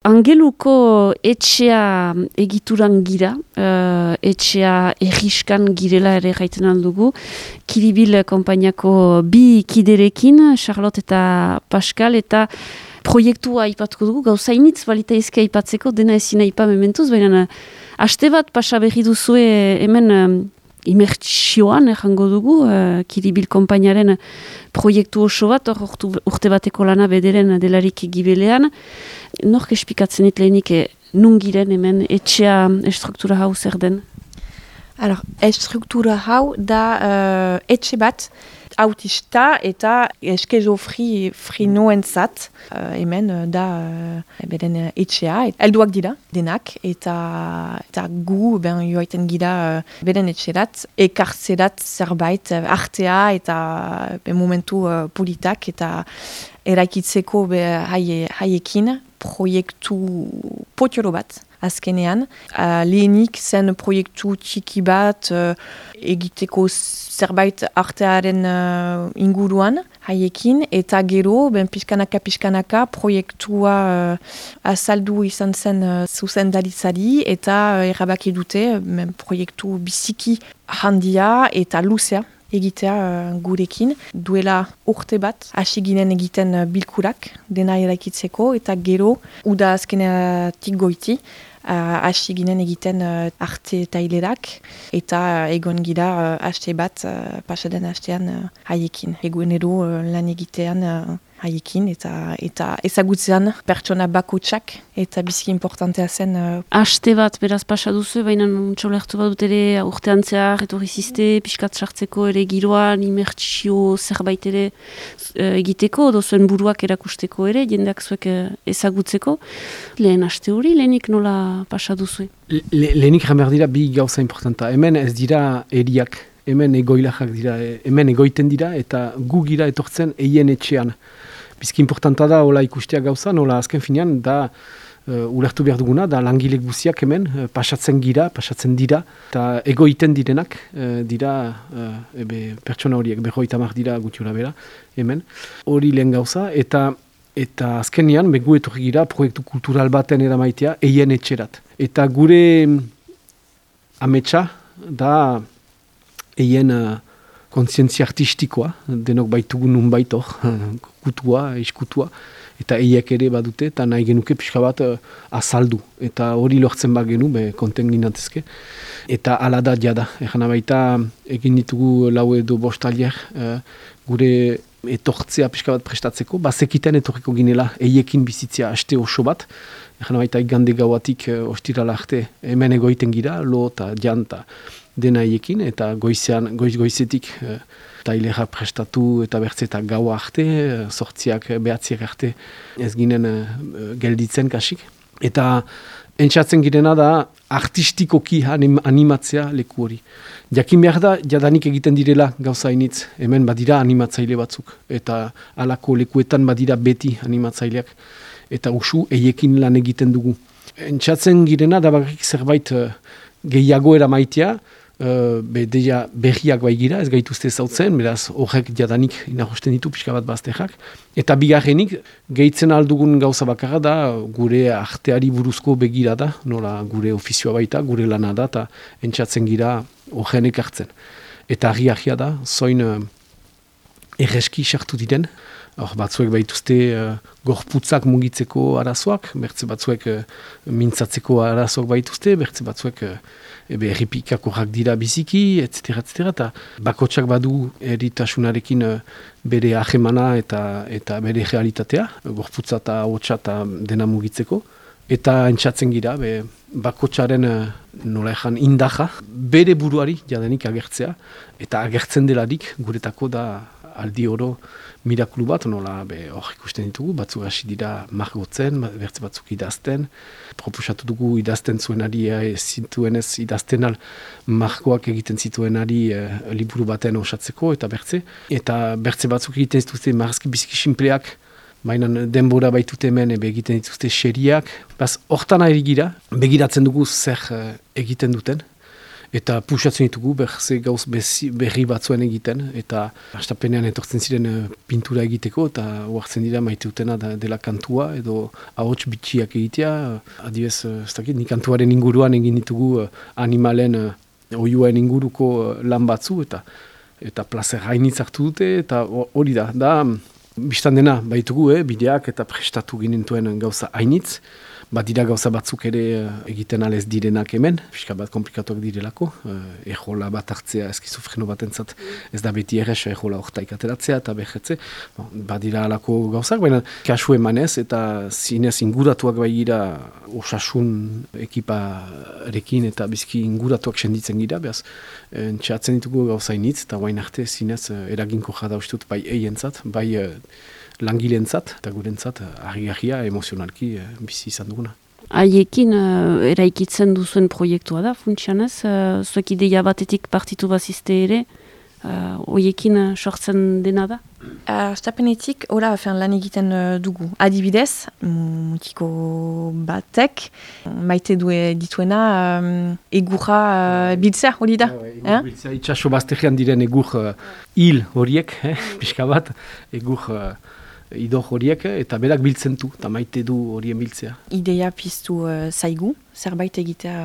Angeluko etxea egituran gira, etxea erriskan girela ere gaiten aldugu. Kiribil konpainiako bi kiderekin, Charlotte eta Pascal, eta proiektua aipatuko dugu, gauza initz balita ezke aipatzeko, dena ezin aipa mementuz, baina aste bat pasa berri duzue hemen imertsioan errango dugu, Kiribil konpainiaren proiektu oso bat, urte bateko lana bederen delarik gibelean. Nork espikatzen dit lehenik nun giren hemen etxea estruktura hau zer den? Alors, estruktura hau da etxe bat autista eta eskizofrenoentzat. Hemen da beren etxea, helduak dira denak, eta gu joaiten gira beren etxerat, ekartzerat zerbait artea eta momentu politak eta eraikitzeko haiekin proiektu potolo bat. Azkenean, lehenik zen proiektu txiki bat egiteko zerbait artearen inguruan haiekin, eta gero, pixkanaka proiektua azaldu izan zen zuzendaritzari, eta erabaki dute proiektu biziki handia eta luzea egitea gurekin. Duela urte bat, hasi ginen egiten bilkurak dena eraikitzeko, eta gero, uda azkeneatik goiti, hasi ginen egiten arte tailerak, eta egon gira haste bat pasaden hastean haiekin. Egunero lan egitean haiekin, eta ezagutzean pertsona bakotsak, eta biziki importantea zen. Haste bat beraz pasa duzu, baina txolertu bat dut ere urtean zehar, etorri ziste, pixkat sartzeko ere giroan, imertsio zerbait ere egiteko, dozuen buruak erakusteko ere, jendeak zuek ezagutzeko. Lehen haste hori, lehenik nola pasa duzu? Lehenik jamar dira bi gauza importanta. Hemen ez dira eriak, hemen egoilajak dira, hemen egoiten dira, eta gu gira etortzen eien etxean. Bizki importanta da, hola ikustea gauza, nola azken finean, da ulertu behar duguna, da langilek guziak hemen, pasatzen dira, eta egoiten direnak, dira pertsona horiek, 50 dira gutiura bera, hemen. Hori lehen gauza, eta azkenean, gu etorri gira, proiektu kultural baten eramaitea, eien etxerat. Eta gure ametsa, da eien kontzientzia artistikoa, denok baitugu nun baitor, kutua, iskutua, eta eiek ere badute, eta nahi genuke pixka bat azaldu. Eta hori lortzen bat genu, konten ginatezke. Eta ala da jada. Egan baita egin ditugu lau edo bostalier gure etortzea pixka bat prestatzeko, bazekiten etorriko ginela eiekin bizitzea haste oso bat. Egan baita igande gauatik ostirala arte hemen egoiten gira, lo eta janta dena eiekin, eta goizetik tailera prestatu eta bertze eta gaua arte, sortziak behatziak arte ez ginen gelditzen kasik. Eta entzatzen girena da artistikoki animatzea leku hori. Jakin behar da, jadanik egiten direla gauza initz, hemen badira animatzaile batzuk, eta halako lekuetan badira beti animatzaileak, eta usu eiekin lan egiten dugu. Entzatzen girena da bakarrik zerbait gehiago eramaitea, deia berriak baigira, ez gaituzte zautzen, beraz horrek jadanik inahosten ditu pixka bat bazterrak. Eta bigarrenik, gehitzen aldugun gauza bakarra da, gure arteari buruzko begira da, nola gure ofizioa baita, gure lana da, eta entzatzen gira horrenek hartzen. Eta argi da, zoin erreski sartu diren, batzuek baituzte gorputzak mugitzeko arazoak, bertze batzuek mintzatzeko arazoak baituzte, bertze batzuek erripikakorak dira biziki, etc. Eta bakotsak badu eritasunarekin bere ahemana eta bere realitatea, gorputza eta hotsa eta dena mugitzeko. Eta entzatzen gira, bakotsaren nola ezan indaja, bere buruari jadenik agertzea, eta agertzen delarik guretako da aldi oro mirakulu bat, nola hor ikusten ditugu, batzuk hasi dira margotzen, bertze batzuk idazten, proposatu dugu idazten zuenari zituenez idazten al margoak egiten zituenari liburu baten osatzeko, eta bertze batzuk egiten zituzte marrazki biziki simpleak, baina denbora baitute hemen egiten dituzte xeriak, hortan ari gira, begiratzen dugu zer egiten duten, Eta pusatzen ditugu gauz berri batzuen egiten, eta hastapenean etortzen ziren pintura egiteko, eta oartzen dira maiteutena dela kantua, edo ahots bitxiak egitea, adibez, ez dakit, ni kantuaren inguruan egin ditugu animalen oiuen inguruko lan batzu, eta plazer hainitz hartu dute, eta hori da, biztan dena baitugu, bideak eta prestatu ginentuen gauza hainitz, badira gauza batzuk ere egiten alez direnak hemen, pixka bat komplikatuak direlako, ejola bat hartzea eskizofreno batentzat ez da beti errez ejola hortaik ateratzea eta behetze, badira alako gauzak, baina kasu emanez eta zinez inguratuak baigira osasun ekiparekin eta bizki inguratuak senditzen gira, behaz txatzen ditugu gauzainitz eta guain arte zinez eraginko jada ustut bai eientzat, bai langilentzat eta gurentzat argi-argia emozionalki bizi izan duguna. Haiekin eraikitzen duzuen proiektua da, funtsianez, zuek ideia batetik partitu bazizte ere, hoiekin sortzen dena da? Astapenetik, lan egiten dugu. Adibidez, mutiko batek, maite dituena egurra biltzea hori da. Egur biltzea, itxaso baztegian diren egur hil horiek, pixka bat, egur idor horiek, eta berak biltzen du, eta maite du horien biltzea. Ideia piztu zaigu, zerbait egitea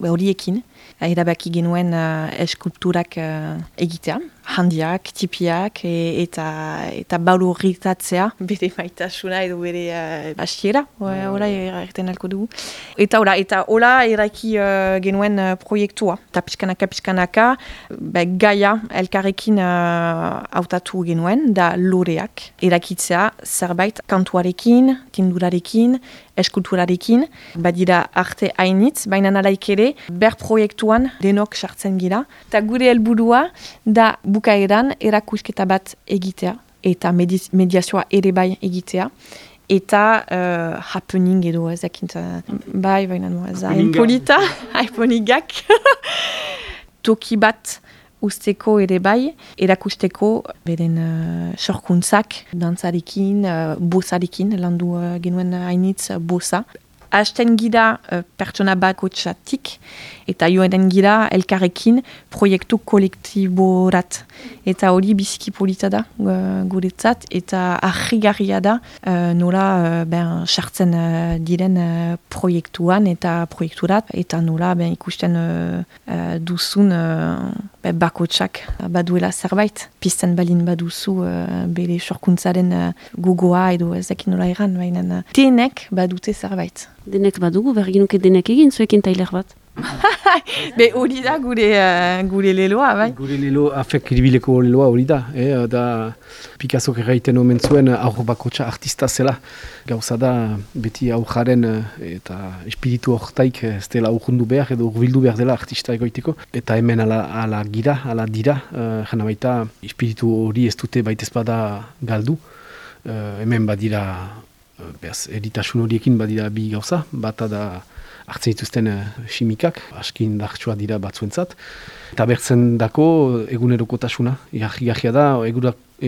horiekin. Erabaki genuen eskulturak egitea, handiak, tipiak, eta baloritatzea, bere maitasuna edo bere basiera, hola erraiten alko dugu. Eta hola eraki genuen proiektua. Eta pizkanaka, gaia elkarrekin hautatu genuen, da loreak. Erakitzea zerbait kantuarekin, tindurarekin, eskulturarekin, badira arte hainitz, baina nalaik ere, ber proiektuan denok sartzen gira. Eta gure helburua da bukaeran erakusketa bat egitea, eta mediazioa ere bai egitea, eta happening edo ezakint, baina ez da, impolita, haiponigak, toki bat usteko ere bai, erakusteko beren sorkuntzak, dantzarekin, bosarekin, landu genuen hainitz bosa. Hasten gira pertsona bakotxatik, eta joan gira elkarrekin proiektu kolektiborat. Eta hori biziki polita da guretzat, eta argigarria da nola sartzen diren proiektuan eta proiekturat, eta nola ikusten duzun bakotxak baduela zerbait. Pizten balin baduzu bere sorkuntzaren gogoa edo ezekin nola eran, baina denek badute zerbait. Denek badugu, berginuke denek egin zuekin tailer bat. Be hori da gure leloa, bai? Gure lelo, afek iribileko leloa hori da. Da Picasso erraiten omen zuen aur bakotxa artista zela. Gauza da beti aurjaren eta espiritu hortaik ez dela urrundu behar edo urbildu behar dela artista egoiteko. Eta hemen ala dira, jana baita espiritu hori ez dute baitez bada galdu. Hemen badira, eritasun horiekin badira bi gauza, bata da hartzen dituzten simikak, askin dartsua dira batzuentzat. Eta bertzen dako egunerokotasuna. Igarria da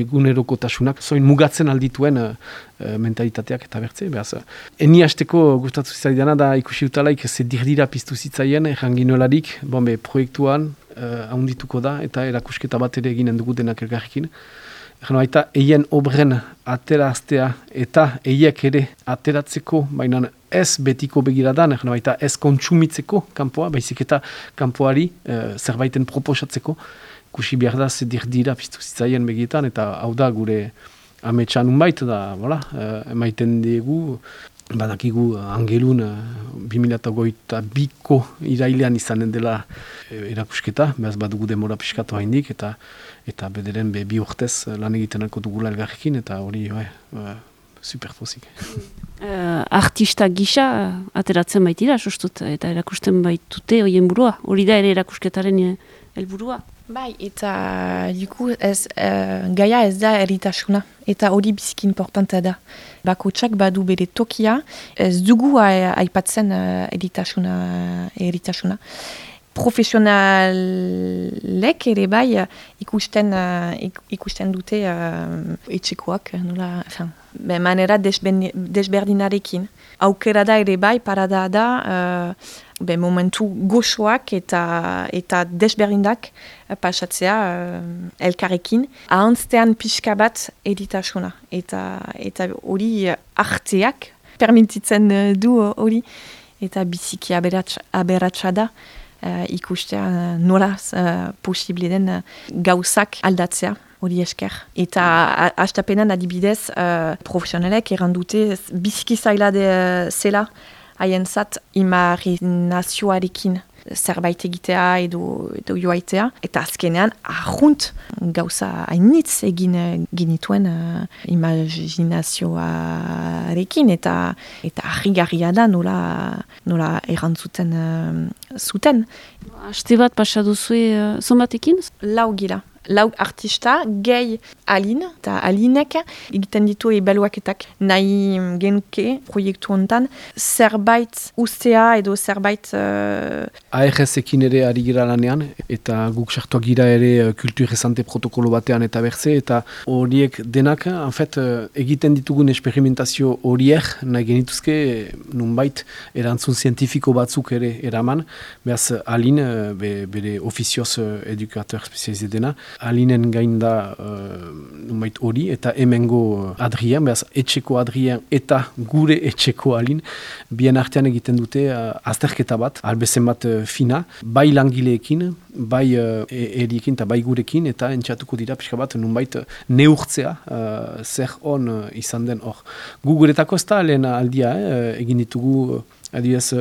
egunerokotasunak zoin mugatzen aldituen mentalitateak eta bertze. Eni hasteko gustatu zitzaidan da ikusi utalaik ze dirdira piztu zitzaien erranginolarik, proiektuan ahondituko da eta erakusketa bat ere eginen dugu denak elgarrekin. Eta eien obren ateraztea eta eiek ere ateratzeko, baina ez betiko begiradan, eta ez kontsumitzeko kanpoa, baizik eta kanpoari zerbaiten proposatzeko. Kusi behar da ze dirdira piztu zitzaien begietan, eta hau da gure ametsan unbait, da emaiten dugu, badakigu angelun 2022ko irailean izanen dela erakusketa, behaz badugu demora piskatu haindik, eta bederen bi urtez lan egiten alko dugula elgarrekin, eta hori super pozik. Artista gisa ateratzen baitira, sustut, eta erakusten baitute horien burua, hori da ere erakusketaren helburua. Bai, eta gaia ez da eritasuna, eta hori biziki importantea da. Bakotxak badu bere tokia, ez dugu aipatzen eritasuna. profesionalek ere bai ikusten dute etxekoak, nola, manera desberdinarekin. Aukera da ere bai, parada da, momentu goxoak eta desberdindak pasatzea elkarrekin. Ahantzean pixka bat editasuna. Eta hori arteak permititzen du hori. Eta biziki aberatsa da ikustea nola posible den gauzak aldatzea. Hori esker. Eta hastapenan adibidez profesionalek errandute biziki zaila zela haientzat imaginazioarekin zerbait egitea edo joaitea. Eta azkenean arrunt gauza hainitz egin genituen imaginazioarekin eta harrigarria da nola errantzuten zuten. Aste bat pasaduzue zonbatekin? 4 gira. 4 artista, gehi Aline, eta Alinek egiten ditu ebaluaketak nahi genuke proiektu hontan, zerbait ustea edo zerbait... ARS-ekin ere ari gira lanean, eta guk sartuak gira ere kulturrezante protokolo batean eta berze, eta horiek denak, egiten ditugun esperimentazio horiek nahi genituzke nunbait erantzun zientifiko batzuk ere eraman, behaz Aline, bere ofizioz edukateur spezialize dena, Alinen gain da numait hori, eta hemengo Adrien, behaz etxeko Adrien eta gure etxeko Alin, bien artean egiten dute azterketa bat, albezen bat fina, bai langileekin, bai eriekin eta bai gurekin, eta entxatuko dira pixka bat nunbait neurtzea zer on izan den hor. Gu guretako ez da lehen aldia, egin ditugu, adibidez,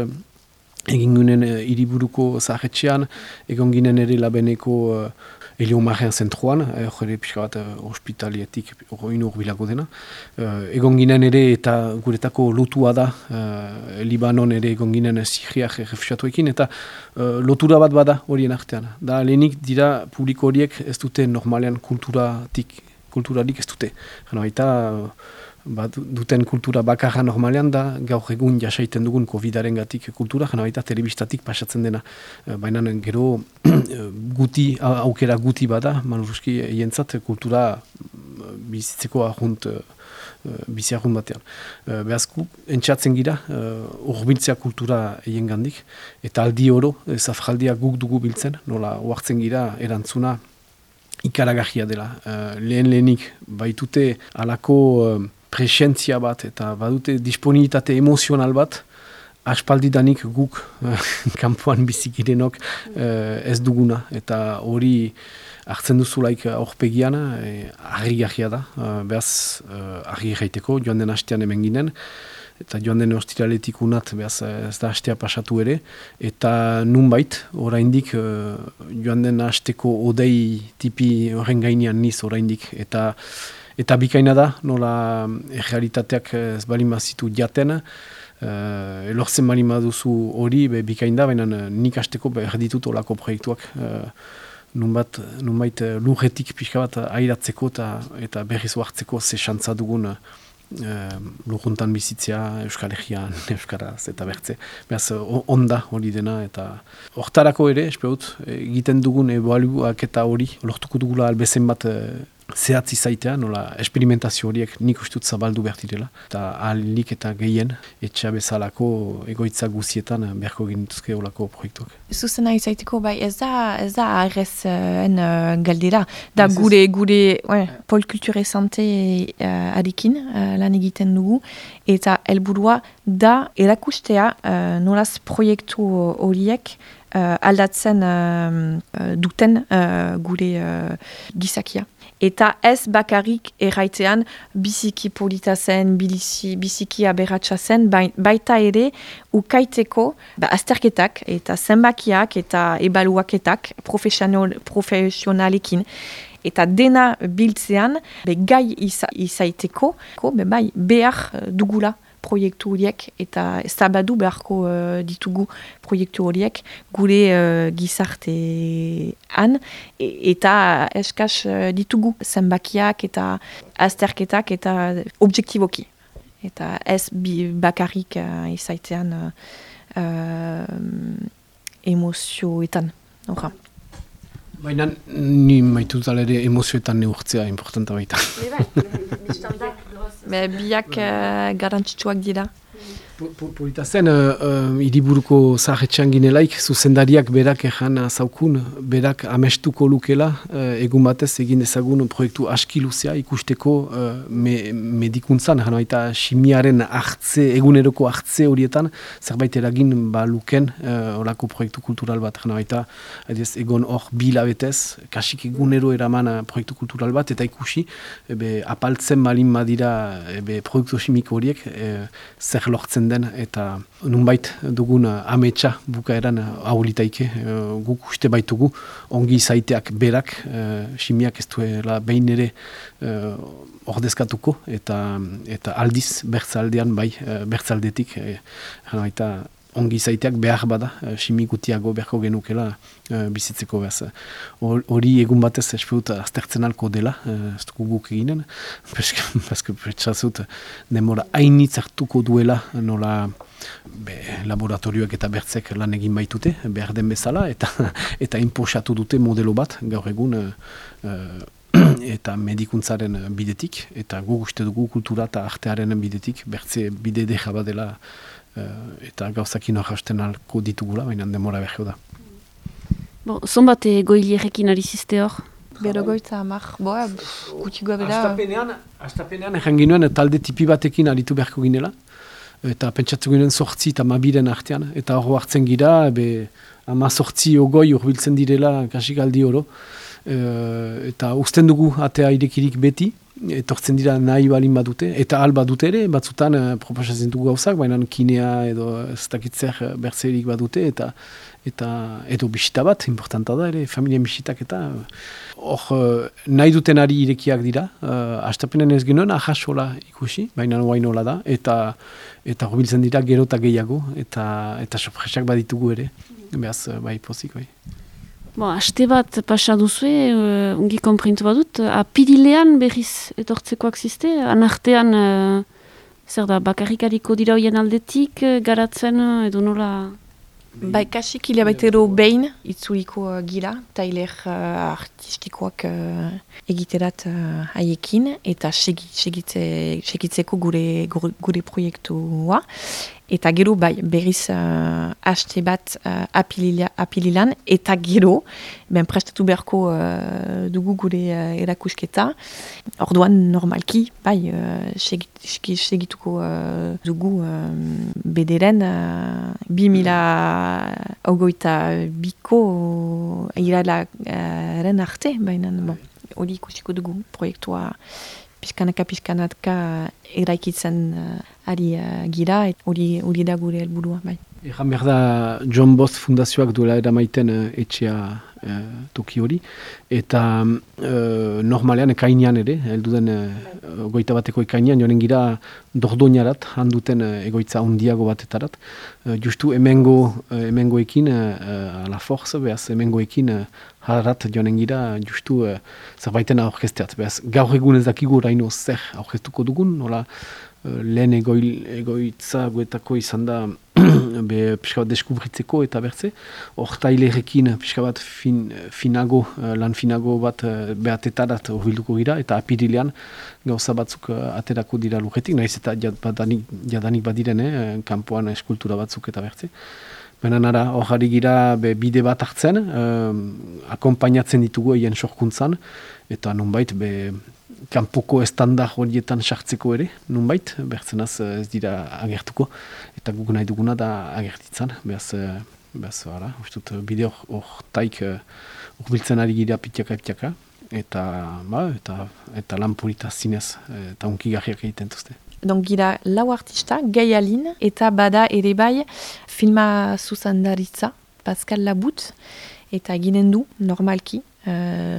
egin ginen hiriburuko zahetxean, egon ginen ere labeneko Eliomaren zentruan, jore pixka bat hospitalietik hori urbilako dena. Egon ginen ere eta guretako lotua da, Libanon ere egon ginen Siriak refusiatuekin, eta lotura bat bada horien artean. Da lehenik dira publiko horiek ez dute normalean kulturarik ez dute. Eta duten kultura bakarra normalean da, gaur egun jasaiten dugun COVID-aren gatik kultura, eta telebistatik pasatzen dena. Baina gero aukera guti bada, manuruski jentzat kultura bizitzeko bizi ahunt batean. Behazku, entxatzen gira, urbiltzea kultura egin gandik, eta aldi oro, zafraldia guk dugu biltzen, nola oartzen gira erantzuna ikaragarria dela. Lehenik baitute alako presentzia bat eta badute disponibilitate emozional bat, aspaldidanik guk kanpoan bizikirenok ez duguna. Eta hori hartzen duzulaik aurpegian, harrigarria da, behaz harri gaiteko, joan den hastean hemen ginen, eta joan den ostiraletik unat, behaz ez da hastea pasatu ere, eta nunbait, oraindik joan den hasteko odei tipi horren gainean niz oraindik, eta bikaina da, nola realitateak ez balin bazitu jaten, elortzen balin baduzu hori, bikain da, baina nik hasteko erditut olako proiektuak, nunbait lurretik pixka bat airatzeko eta berriz hartzeko ze xantza dugun lurruntan bizitzea, Euskal Herrian, Euskaraz eta bertze. Beraz, onda hori dena, eta hortarako ere, espeut, egiten dugun ebaluak eta hori, lortuko dugula albezen bat zehatzi zaitea, nola esperimentazio horiek nik ustut zabaldu bertirela, eta ahalik eta gehien, etxea bezalako egoitza guzietan beharko genituzke olako proiektuak. Zuzena izaiteko, bai, ez da ARS-en galdera, da gure polkulture sante adekin lan egiten dugu, eta helburua da erakustea nolaz proiektu horiek aldatzen duten gure gizakia. Eta ez bakarrik erraitean biziki polita zen, biziki aberatsa zen, baita ere ukaiteko azterketak eta zenbakiak eta ebaluaketak profesionalekin. Eta dena biltzean gai izaiteko behar dugula proiektu horiek eta zabadu beharko ditugu proiektu horiek gure gizartean eta eskaz ditugu zenbakiak eta azterketak eta objektiboki. Eta ez bakarrik izaitean emozioetan. Horra. Baina ni maitut ere emozioetan neurtzea importanta baita. Biak garrantzitsuak dira. Polita zen, hiriburuko zaharretxean ginelaik, zuzendariak berak ejan zaukun, berak amestuko lukela, egun batez egin dezagun proiektu aski luzea ikusteko medikuntzan, jana baita simiaren eguneroko hartze horietan, zerbait eragin luken horako proiektu kultural bat, jana baita egon hor bilabetez, kasik egunero eraman proiektu kultural bat, eta ikusi, apaltzen balin badira proiektu simiko horiek, zer lortzen den, eta nunbait dugun ametsa bukaeran aurlitaike, guk uste baitugu ongi zaiteak berak, simiak ez duela behin ere ordezkatuko, eta aldiz bertzaldean bai, bertzaldetik, eta ongi zaiteak behar bada, simikutiago beharko genukela bizitzeko behaz. Hori egun batez espeut aztertzen alko dela, ez dugu guk eginen, paske pretxazut demora hainitz hartuko duela nola laboratorioak eta bertzek lan egin baitute, behar den bezala, eta inposatu dute modelo bat, gaur egun, eta medikuntzaren bidetik, eta gu uste dugu kultura eta artearen bidetik, bertze bide deja badela, eta gauzakin hasten alko ditugula, baina demora behar da. Zonbat goilierekin ari ziste hor? Berogoitza amak, gutxikoa bera. Astapenean egin ginuen talde tipi batekin aritu beharko ginela, eta pentsatzen ginen 8 eta 12 artean, eta hor hartzen gira, 18 ogoi urbiltzen direla kasik aldi oro, eta usten dugu atea irekirik beti, etortzen dira nahi balin badute, eta alba dute ere, batzutan proposatzen dugu gauzak, baina kinea edo ez dakitzer bertzerik badute, eta edo bisita bat, importanta da ere, familia bisitak eta hor nahi duten ari irekiak dira, astapenen ez genuen ahasola ikusi, baina guainola da, eta horbiltzen dira gero eta gehiago, eta sorpresak baditugu ere, behaz bai pozik bai. Aste bat pasa duzue, ungi konprintu badut, apirilean berriz etortzekoak ziste, anartean, zer da, bakarrikariko dira hoien aldetik, garatzen edo nola? Bai, kasik hilabaitero behin itzuliko gira, tailer artistikoak egiterat haiekin, eta segitzeko gure proiektua. Eta gero bai, berriz haste bat apililan, eta gero, prestatu beharko dugu gure erakusketa. Orduan normalki, bai, segituko dugu bederen 2022ko iralaren arte, baina hori ikusiko dugu proiektua pizkanaka eraikitzen ari gira, hori da gure helburua. Bai. Egan behar da John Bost Fundazioak duela eramaiten etxea toki hori, eta normalean ekainean ere, helduden goita bateko ekainean, joanen gira dordoinarat, handuten egoitza handiago batetarat, justu hemengoekin, la forza, behaz hemengoekin harat joanen gira, justu zerbaiten aurkesteat, behaz gaur egun ez dakigu oraino zer aurkestuko dugun, nola lehen egoitza guetako izan da pixka bat deskubritzeko eta bertze. Hor tailerekin pixka bat lan finago bat behatetarat horbilduko gira, eta apirilean gauza batzuk aterako dira lujetik, nahiz eta jadanik badiren, kanpoan eskultura batzuk eta bertze. Baina nara, hor gira bide bat hartzen, akompainatzen ditugu egin sorkuntzan, eta nunbait kanpoko estandar horietan sartzeko ere, nunbait, bertzenaz ez dira agertuko, eta guk nahi duguna da agertitzan, behaz, ustut, bide hor taik urbiltzen ari gira pitiaka, eta lan polita zinez, eta unkigarriak egiten duzte. Donc gira lau artista, Gai Alin, eta bada ere bai filma zuzendaritza, Pascal Labut, eta ginen du, normalki,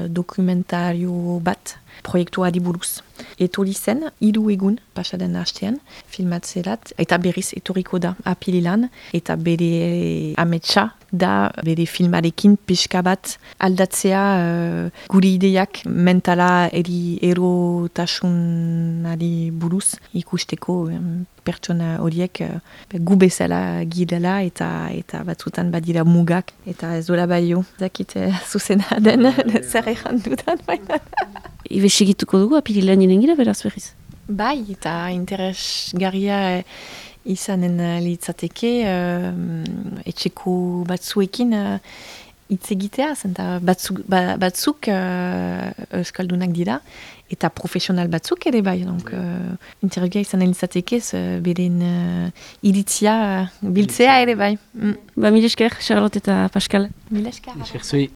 dokumentario bat, proiektuari buruz. Etorri zen, 3 egun, pasaden hastean, filmatzerat, eta berriz etorriko da apililan, eta bere ametsa da bere filmarekin pixka bat aldatzea gure ideiak mentala erotasunari buruz ikusteko pertsona horiek gu bezala girela eta batzutan badira mugak eta ez dola baio. Zakit zuzena den zer egan dudan baina. Ibe segituko dugu apirilean ninen gira beraz berriz? Bai, eta interesgarria izanen litzateke etxeko batzuekin hitz egitea, zenta batzuk euskaldunak dira, eta profesional batzuk ere bai, interesgarria izanen litzateke beren iritzia biltzea ere bai. Ba, mil esker, Charlotte eta Pascal. Mil esker. Esker zui.